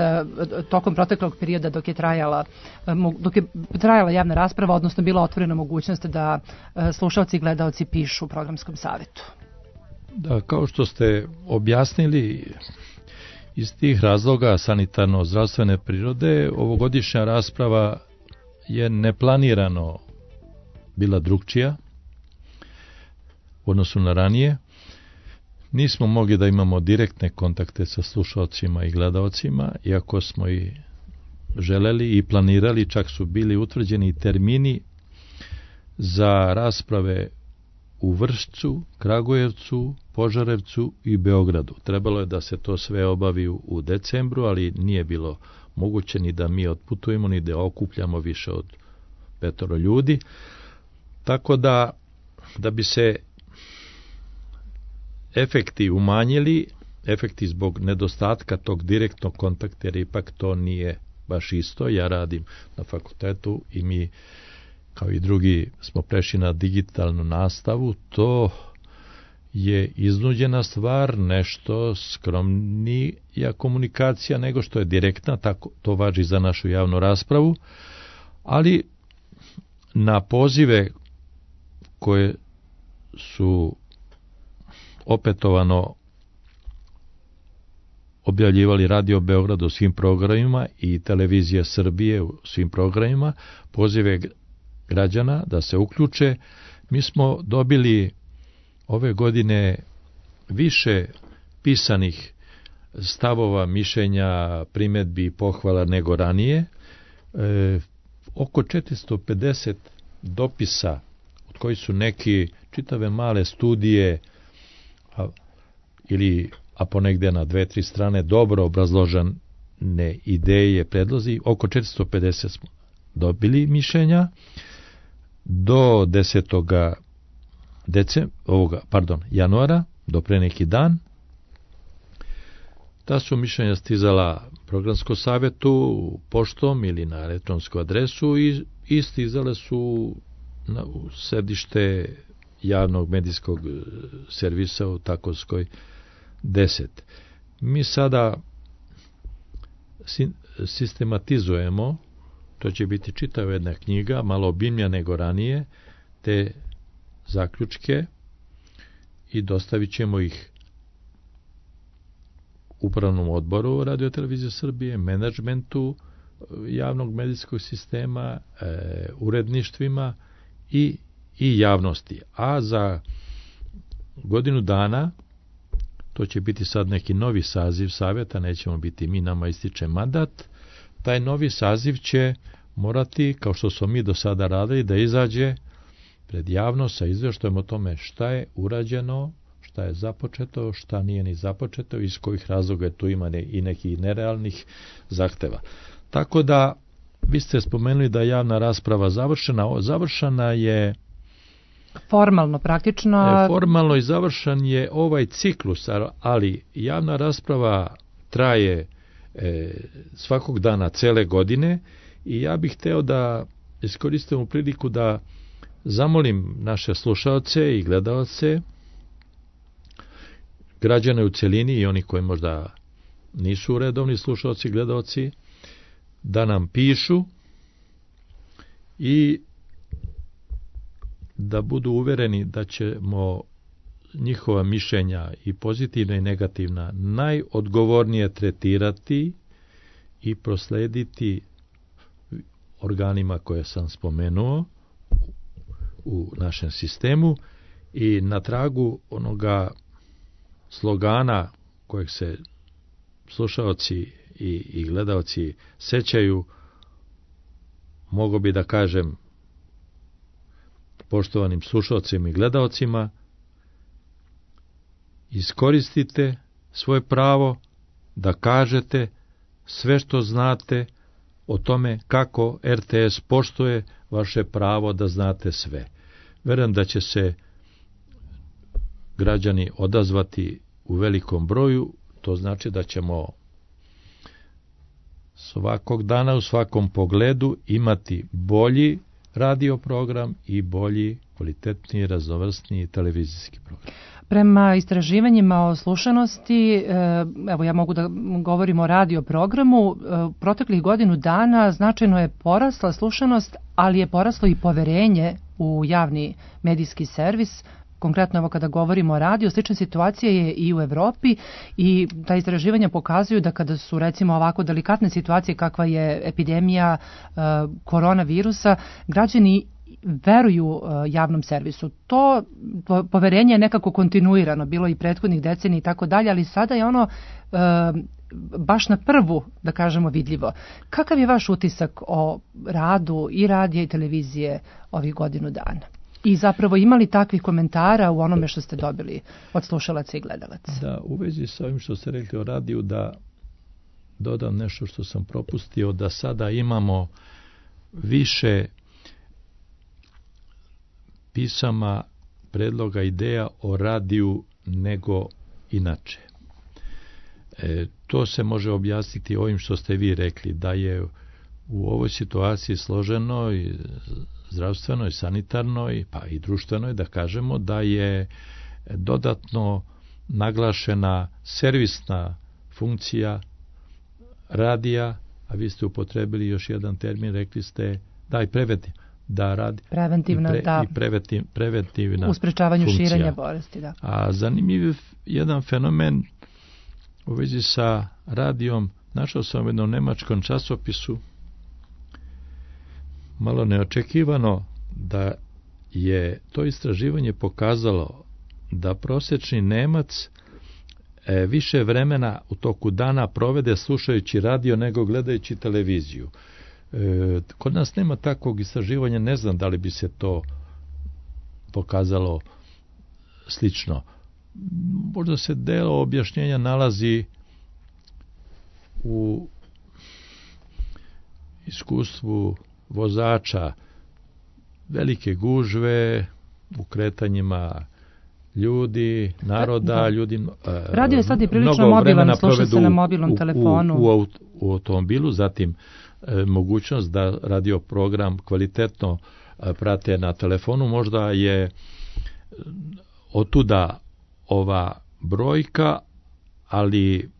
tokom proteklog perioda dok je trajala, e, dok je trajala javna rasprava, odnosno bila otvorena mogućnost da e, slušalci i gledalci pišu u programskom savetu?
Da, kao što ste objasnili, iz tih razloga sanitarno-zdravstvene prirode, ovogodišnja rasprava je neplanirano bila drugčija u odnosu na ranije. Nismo mogli da imamo direktne kontakte sa slušalcima i gledalcima, iako smo i želeli i planirali, čak su bili utvrđeni termini za rasprave u Vršcu, Kragujevcu, Požarevcu i Beogradu. Trebalo je da se to sve obavi u decembru, ali nije bilo moguće ni da mi otputujemo, ni da okupljamo više od petoro ljudi. Tako da, da bi se efekti umanjili, efekti zbog nedostatka tog direktnog kontakta, jer ipak to nije baš isto. Ja radim na fakultetu i mi, kao i drugi, smo prešli na digitalnu nastavu. To je iznuđena stvar, nešto skromnija komunikacija nego što je direktna, tako to važi za našu javnu raspravu, ali na pozive koje su opetovano objavljivali Radio Beograd u svim programima i Televizija Srbije u svim programima, pozive građana da se uključe. Mi smo dobili ove godine više pisanih stavova, mišljenja, primjedbi i pohvala nego ranije. E, oko četiristo pedeset dopisa, od kojih su neki čitave male studije a, ili a ponegde na dve, tri strane dobro obrazložene ideje, predlozi. Oko četiristo pedeset smo dobili mišljenja. Do desetoga Decem, ovoga, pardon, januara, do pre neki dan, ta su mišljenja stizala programskom savjetu poštom ili na elektronsku adresu i, i stizale su na, u sedište javnog medijskog servisa u Takovskoj deset. Mi sada sistematizujemo, to će biti čitava jedna knjiga, malo obimnija nego ranije, te zaključke i dostavit ćemo ih upravnom odboru Radio-televizije Srbije, menadžmentu javnog medijskog sistema, e, uredništvima i, i javnosti. A za godinu dana, to će biti sad neki novi saziv savjeta, nećemo biti mi, nama ističe mandat, taj novi saziv će morati, kao što smo mi do sada radili, da izađe pred javnost sa izvještajem o tome šta je urađeno, šta je započeto, šta nije ni započeto, iz kojih razloga tu ima i nekih nerealnih zahteva. Tako da, vi ste spomenuli da je javna rasprava završena. Završena je
formalno, praktično.
Formalno i završen je ovaj ciklus, ali javna rasprava traje e, svakog dana cele godine i ja bih hteo da iskoristim priliku da zamolim naše slušaoce i gledaoce, građane u celini i oni koji možda nisu redovni slušaoci i gledaoci, da nam pišu i da budu uvereni da ćemo njihova mišljenja i pozitivna i negativna najodgovornije tretirati i proslediti organima koje sam spomenuo u našem sistemu i na tragu onoga slogana kojeg se slušaoci i, i gledaoci sećaju, mogu bi da kažem poštovanim slušaocima i gledaocima, iskoristite svoje pravo da kažete sve što znate o tome kako er te es poštuje vaše pravo da znate sve. Verujem da će se građani odazvati u velikom broju, to znači da ćemo svakog dana u svakom pogledu imati bolji radio program i bolji, kvalitetniji, raznovrsniji televizijski program.
Prema istraživanjima o slušanosti, evo ja mogu da govorim o radio programu, proteklih godinu dana značajno je porasla slušanost, ali je poraslo i poverenje u javni medijski servis. Konkretno evo kada govorimo o radiju, slična situacija je i u Evropi i ta istraživanja pokazuju da kada su recimo ovako delikatne situacije kakva je epidemija uh, koronavirusa, građani veruju uh, javnom servisu. To po, poverenje je nekako kontinuirano, bilo i prethodnih decenija i tako dalje, ali sada je ono uh, baš na prvu, da kažemo, vidljivo. Kakav je vaš utisak o radu i radija i televizije ovih godinu dana? I zapravo imali takvih komentara u onome što ste dobili od slušalaca i gledalaca?
Da, u vezi sa ovim što ste rekli o radiju, da dodam nešto što sam propustio, da sada imamo više pisama, predloga, ideja o radiju nego inače. E, to se može objasniti ovim što ste vi rekli, da je u ovoj situaciji složeno i zdravstveno i sanitarno i pa i društveno, da kažemo da je dodatno naglašena servisna funkcija radija, a vi ste upotrebili još jedan termin, rekli ste da i preventiv, da radi
preventivna,
i, pre,
da,
i preventiv, preventivna
u sprečavanju
funkcija.
širenja bolesti. Da.
A zanimljiv jedan fenomen u vezi sa radijom, našao sam u jednom nemačkom časopisu, malo neočekivano, da je to istraživanje pokazalo da prosječni Nemac e, više vremena u toku dana provede slušajući radio nego gledajući televiziju. E, kod nas nema takvog istraživanja, ne znam da li bi se to pokazalo slično. Možda se delo objašnjenja nalazi u iskustvu vozača, velike gužve u kretanjima ljudi, naroda, da. ljudi...
Radio je sad i prilično mobilan, sluša se na mobilnom
u,
telefonu.
U, u, u automobilu, zatim e, mogućnost da radio program kvalitetno e, prate na telefonu, možda je otuda ova brojka, ali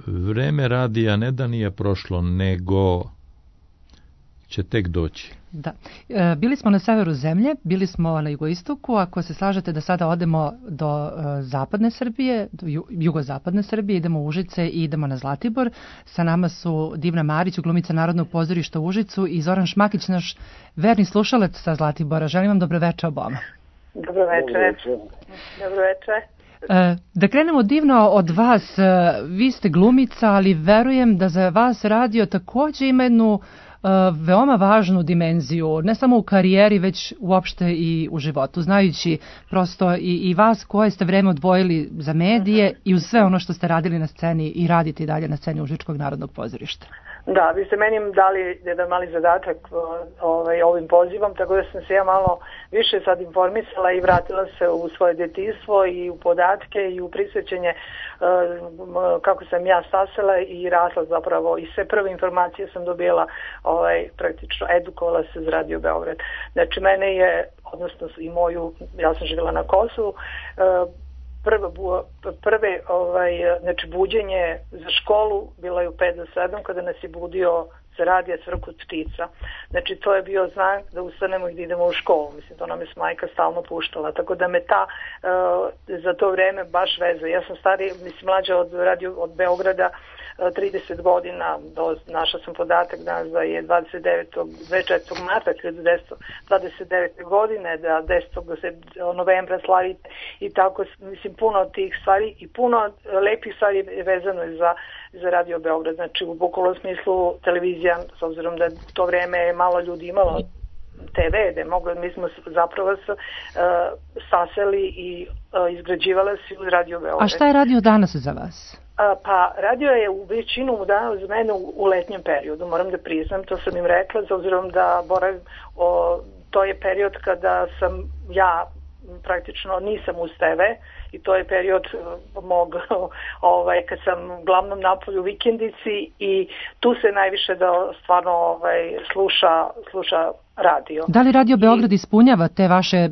vreme radija ne da nije prošlo, nego će tek doći.
Da. E, bili smo na severu zemlje, bili smo na jugoistoku, ako se slažete da sada odemo do e, zapadne Srbije, do ju, jugozapadne Srbije, idemo u Užice i idemo na Zlatibor. Sa nama su Divna Marić, glumica Narodnog pozorišta u Užicu, i Zoran Šmakić, naš verni slušalac sa Zlatibora. Želim vam dobroveče oboma.
Dobroveče. Dobroveče.
E, da krenemo, Divno, od vas. E, vi ste glumica, ali verujem da za vas radio takođe ima jednu Uh, veoma važnu dimenziju, ne samo u karijeri, već uopšte i u životu, znajući prosto i, i vas koje ste vreme odvojili za medije uh-huh. i uz sve ono što ste radili na sceni i radite i dalje na sceni Užičkog narodnog pozorišta.
Da, vi ste meni dali jedan mali zadatak ovaj, ovim pozivom, tako da sam se ja malo više sad informisala i vratila se u svoje djetinjstvo i u podatke i u prisjećanje uh, kako sam ja stasala i rasla zapravo, i sve prve informacije sam dobila, ovaj, praktično edukovala se za Radio Beograd. Znači mene je, odnosno i moju, ja sam živjela na Kosovu, uh, Prve, prve ovaj, znači buđenje za školu bilo je u pet do sedam kada nas je budio se radija Cvrkut ptica. Znači to je bio znak da ustanemo i da idemo u školu. Mislim, to nam je majka stalno puštala. Tako da me ta uh, za to vreme baš veze. Ja sam starija, mislim, mlađa od, radio, od Beograda trideset godina, do, našla sam podatak danas da je dvadeset devetog marta hiljadu devetsto dvadeset devete godine, da desetog novembra slavite i tako, mislim, puno od tih stvari i puno lepih stvari vezano je za, za Radio Beograd. Znači u bukvalnom smislu televizija, s obzirom da to vreme malo ljudi imalo te ve, da mogli, mi smo zapravo s, uh, saseli i uh, izgrađivala se u Radio Beograd.
A šta je radio danas za vas?
Pa radio je u većinu dana za mene u, u letnjem periodu, moram da priznam, to sam im rekla, s obzirom da boravim, o, to je period kada sam ja praktično nisam uz te ve i to je period mog, ovaj, kad sam uglavnom napolju u vikendici i tu se najviše da stvarno ovaj, sluša, sluša radio.
Da li Radio Beograd I, ispunjava te vaše e,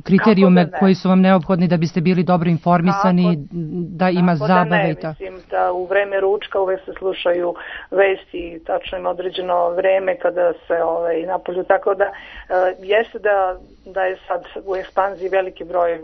kriterijume da koji su vam neophodni da biste bili dobro informisani, kako, da ima zabave da ne, i tako?
Mislim da u vreme ručka uvek se slušaju vesti, tačno ima određeno vreme kada se ovaj, napolju, tako da e, jeste da, da je sad u ekspanziji veliki broj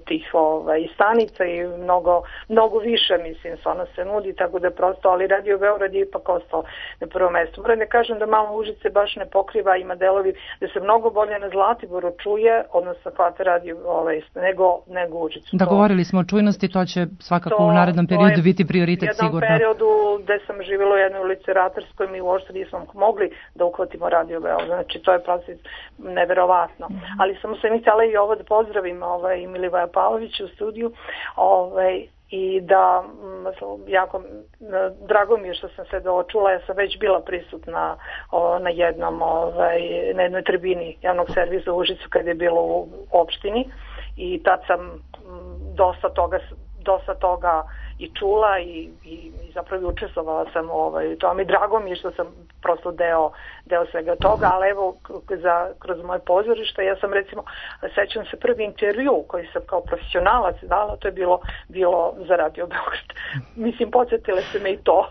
tih ovaj, stanica i mnogo, mnogo više, mislim, stvarno se nudi, tako da prosto, ali Radio Beograd je ipak ostao na prvo mesto. Moram da kažem da malo Užice baš ne pokriva, ima delovi da se mnogo bolje na Zlatiboru čuje, odnosno hvata radio ovaj, nego, nego Užicu.
Da, govorili smo o čujnosti, to će svakako to, u narednom periodu biti prioritet sigurno. U jednom
periodu gde sam živjela u jednoj ulici Ratarskoj, mi uopšte nismo mogli da uhvatimo Radio Beograd, znači to je proces neverovatno. Mm. Ali sam se mi htjela i ovo da pozdravim ovaj, Milivoja Pavlovića u studiju, ovaj, i da jako drago mi je što sam se dočula, ja sam već bila prisutna o, na jednom ovaj, na jednoj tribini javnog servisa u Užicu kad je bilo u opštini i tad sam m, dosta toga dosta toga i čula i, i, i zapravo učestvovala sam ovaj, to mi drago mi je što sam prosto deo, deo svega toga, ali evo za, kroz moje pozorište ja sam recimo, sećam se prvi intervju koji sam kao profesionalac dala, to je bilo, bilo za Radio Beograd. Mislim, podsjetile se me i to.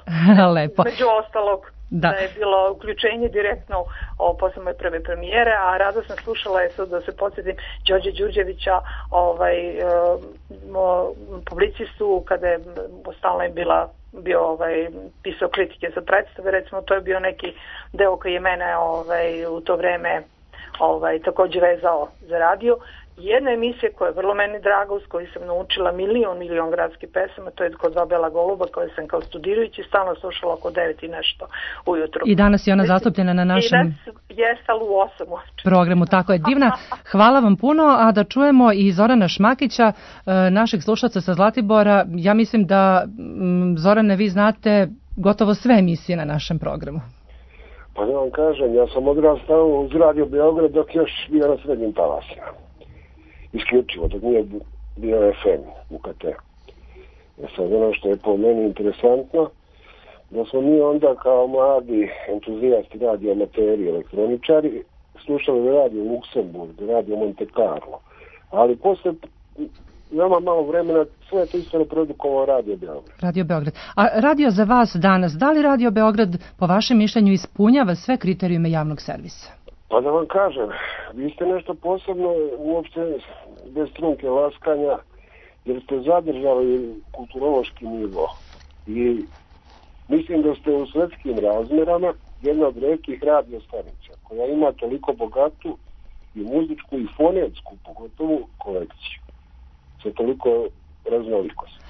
Lepo.
Među ostalog. Da. da je bilo uključenje direktno o, posle moje prve premijere, a rado sam slušala je sad da se podsjetim Đorđe Đurđevića, ovaj, e, publicistu, kada je stalno je bila bio ovaj, pisao kritike za predstave, recimo to je bio neki deo koji je mene ovaj, u to vreme ovaj, također vezao za radio. Jedna emisija koja je vrlo meni draga, uz koju sam naučila milion, milion gradskih pesama, to je Kod dva bela goluba, koje sam kao studirajući stalno slušala oko devet i nešto ujutru.
I danas je ona zastupljena na našem...
I danas je stal u osam
programu, tako je. Divna, hvala vam puno, a da čujemo i Zorana Šmakića, našeg slušaca sa Zlatibora. Ja mislim da, Zorane, vi znate gotovo sve emisije na našem programu.
Pa da vam kažem, ja sam odrastao uz Radio Beograd dok još bio na srednjim talasima. Isključivo, dok nije bio F M u K T. Ja sad ono što je po meni interesantno, da smo mi onda kao mladi entuzijasti radio amateri, elektroničari, slušali radio Luksemburg, radio Monte Carlo, ali posle veoma malo vremena sve je to isto reprodukovao Radio Beograd.
Radio Beograd. A radio za vas danas, da li Radio Beograd po vašem mišljenju ispunjava sve kriterijume javnog servisa?
Pa da vam kažem, vi ste nešto posebno uopšte bez trunke laskanja, jer ste zadržali kulturološki nivo. I mislim da ste u svetskim razmerama jedna od retkih radio stanica koja ima toliko bogatu i muzičku i fonetsku, pogotovo kolekciju. Sa toliko raznolikosti.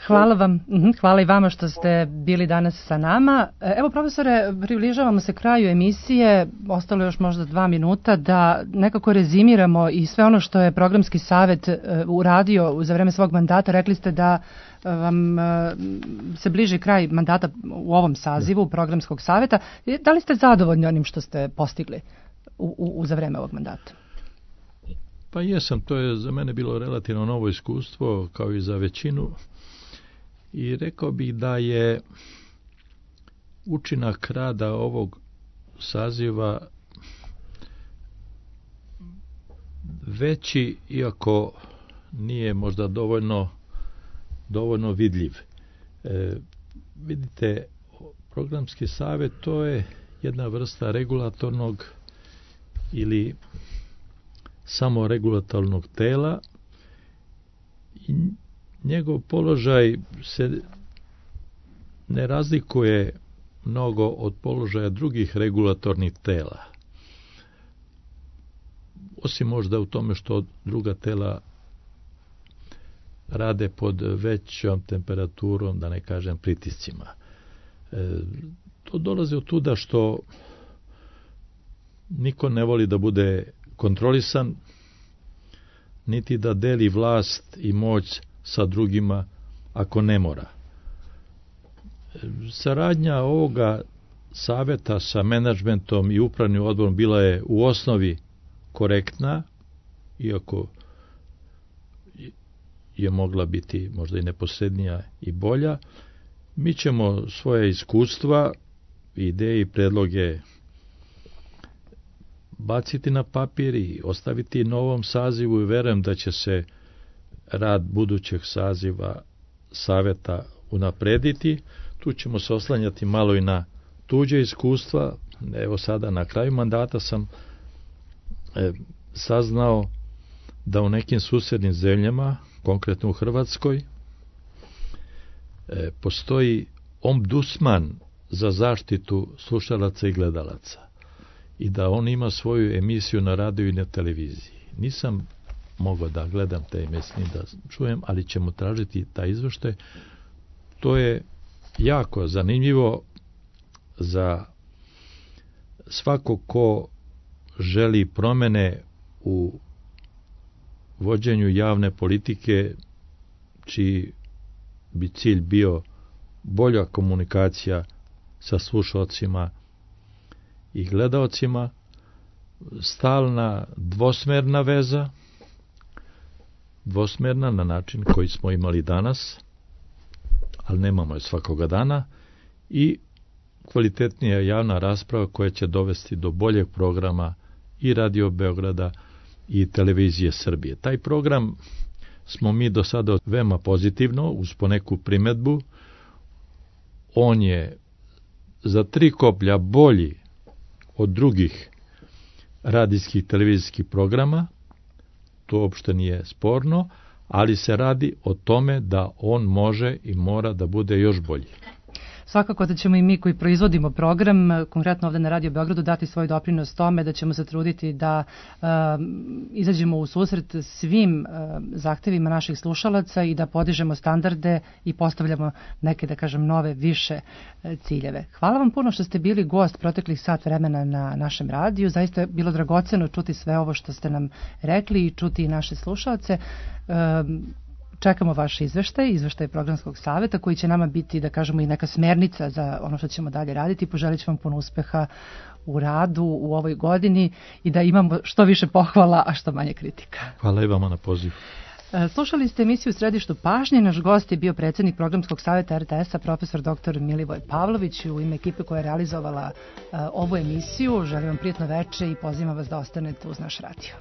Hvala vam, hvala i vama što ste bili danas sa nama. Evo, profesore, približavamo se kraju emisije, ostalo još možda dva minuta, da nekako rezimiramo i sve ono što je programski savet uradio za vreme svog mandata. Rekli ste da vam se bliži kraj mandata u ovom sazivu programskog saveta. Da li ste zadovoljni onim što ste postigli u, u, za vreme ovog mandata?
Pa jesam, to je za mene bilo relativno novo iskustvo, kao i za većinu. I rekao bih da je učinak rada ovog saziva veći, iako nije možda dovoljno, dovoljno vidljiv. E, vidite, programski savjet to je jedna vrsta regulatornog ili samo regulatornog tela i njegov položaj se ne razlikuje mnogo od položaja drugih regulatornih tela. Osim možda u tome što druga tela rade pod većom temperaturom, da ne kažem pritiscima. E, to dolazi od tuda što niko ne voli da bude kontrolisan, niti da deli vlast i moć sa drugima ako ne mora. Saradnja ovoga saveta sa menadžmentom i upravnim odborom bila je u osnovi korektna, iako je mogla biti možda i neposrednija i bolja. Mi ćemo svoje iskustva, ideje i predloge baciti na papir i ostaviti novom sazivu i verujem da će se rad budućeg saziva saveta unaprediti. Tu ćemo se oslanjati malo i na tuđe iskustva. Evo sada na kraju mandata sam e, saznao da u nekim susjednim zemljama, konkretno u Hrvatskoj, postoji ombudsman za zaštitu slušalaca i gledalaca i da on ima svoju emisiju na radiju i na televiziji. Nisam mogao da gledam te emisije, da čujem, ali ćemo tražiti taj izveštaj. To je jako zanimljivo za svako ko želi promene u vođenju javne politike, čiji bi cilj bio bolja komunikacija sa slušalcima i gledaocima, stalna dvosmerna veza, dvosmerna na način koji smo imali danas, ali nemamo je svakoga dana, i kvalitetnija javna rasprava koja će dovesti do boljeg programa i Radio Beograda i Televizije Srbije. Taj program smo mi do sada veoma pozitivno, uz poneku primetbu. On je za tri koplja bolji od drugih radijskih televizijskih programa, to uopšte nije sporno, ali se radi o tome da on može i mora da bude još bolji.
Svakako da ćemo i mi koji proizvodimo program, konkretno ovde na Radio Beogradu, dati svoj doprinos tome, da ćemo se truditi da uh, izađemo u susret svim uh, zahtevima naših slušalaca i da podižemo standarde i postavljamo neke, da kažem, nove, više uh, ciljeve. Hvala vam puno što ste bili gost proteklih sat vremena na našem radiju. Zaista je bilo dragoceno čuti sve ovo što ste nam rekli i čuti i naše slušalce. Uh, Čekamo vaš izveštaj, izveštaj programskog saveta, koji će nama biti, da kažemo, i neka smernica za ono što ćemo dalje raditi. Poželit ću vam puno uspeha u radu u ovoj godini i da imamo što više pohvala, a što manje kritika.
Hvala i vama na pozivu.
Slušali ste emisiju Središtu pažnje. Naš gost je bio predsjednik programskog saveta R T S-a, profesor doktor Milivoj Pavlović. U ime ekipe koja je realizovala uh, ovu emisiju želim vam prijatno veče i pozivam vas da ostanete uz naš radio.